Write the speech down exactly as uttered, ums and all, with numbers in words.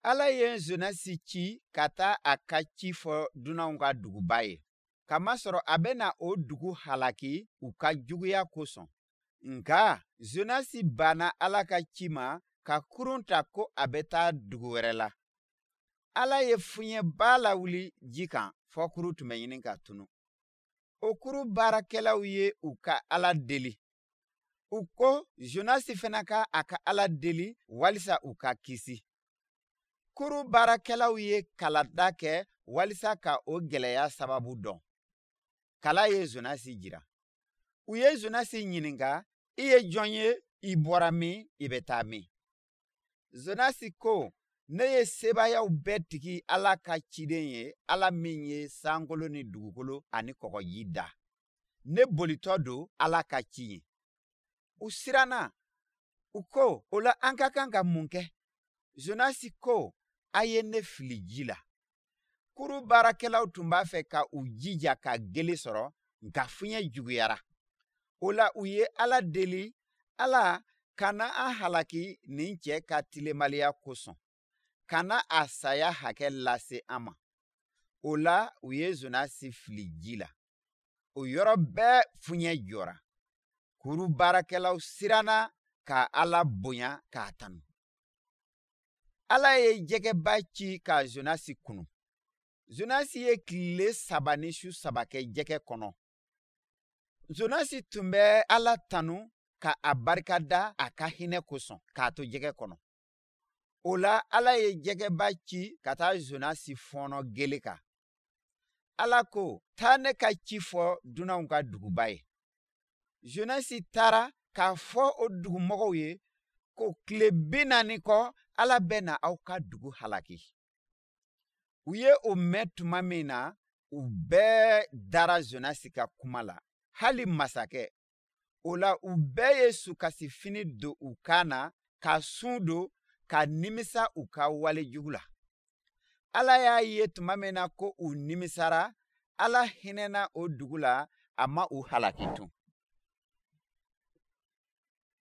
Ala ye Zonasi ci ka taa a ka ci fɔ dunanw ka duguba ye, kamasɔrɔ a bɛna o dugu halaki u ka juguya kosɔn. Nka Zonasi banna Ala ka ci ma ka kurun ta ko a bɛ taa dugu wɛrɛ la. Ala ye fiɲɛba lawuli ji kan fɔ kurun tun bɛ ɲini ka tunu. O kurun baarakɛlaw ye u ka Ala deli. U ko Zonasi fana ka a ka Ala deli walisa u ka kisi. Kurun baarakɛlaw ye kalada kɛ walisa ka o gɛlɛya sababu dɔn. Kala ye Zonasi jira. U ye Zonasi ɲininka, i ye jɔn ye, i bɔra min, i bɛ taa min? Zonasi ko, ne ye sebaayaw bɛɛ tigi Ala ka ciden ye, Ala min ye sankolo ni dugukolo ani kɔgɔji da. Ne bolitɔ don Ala ka ci ye. U siranna. U ko, o la an ka kan ka mun kɛ? Zonasi ko, a ye ne fili ji la. Kurun baarakɛlaw tun b'a fɛ ka u jija ka gele sɔrɔ, nka fiɲɛ juguyara. O la u ye Ala deli, Ala kana an halaki nin cɛ ka tilenbaliya kosɔn. Kana a saya hakɛ lase an ma. O la u ye Zonasi fili ji la. O yɔrɔ bɛɛ fiɲɛ jɔra. Kurun baarakɛlaw siranna ka Ala bonya k'a tanu. Ala ye jɛgɛba ci ka Zonasi kunu. Zonasi ye tile saba ni su saba kɛ jɛgɛ kɔnɔ. Zonasi tun bɛ Ala tanu ka a barikada a ka hinɛ kosɔn k'a to jɛgɛ kɔnɔ. O la Ala ye jɛgɛba ci ka taa Zonasi fɔɔnɔ gele kan. Ala ko, taa ne ka ci fɔ dunanw ka duguba ye. Zonasi taara k'a fɔ o dugumɔgɔw ye ko tile bi naani kɔ Ala bɛ na aw ka dugu halaki. U ye o mɛn tuma min na, u bɛɛ dara Zonasi ka kuma la, hali masakɛ. O la u bɛɛ ye sukasifini don u kan na ka sun don ka nimisa u ka wale jugu la. Ala y'a ye tuma min na ko u nimisara, Ala hinɛna o dugu la, a ma u halaki tun.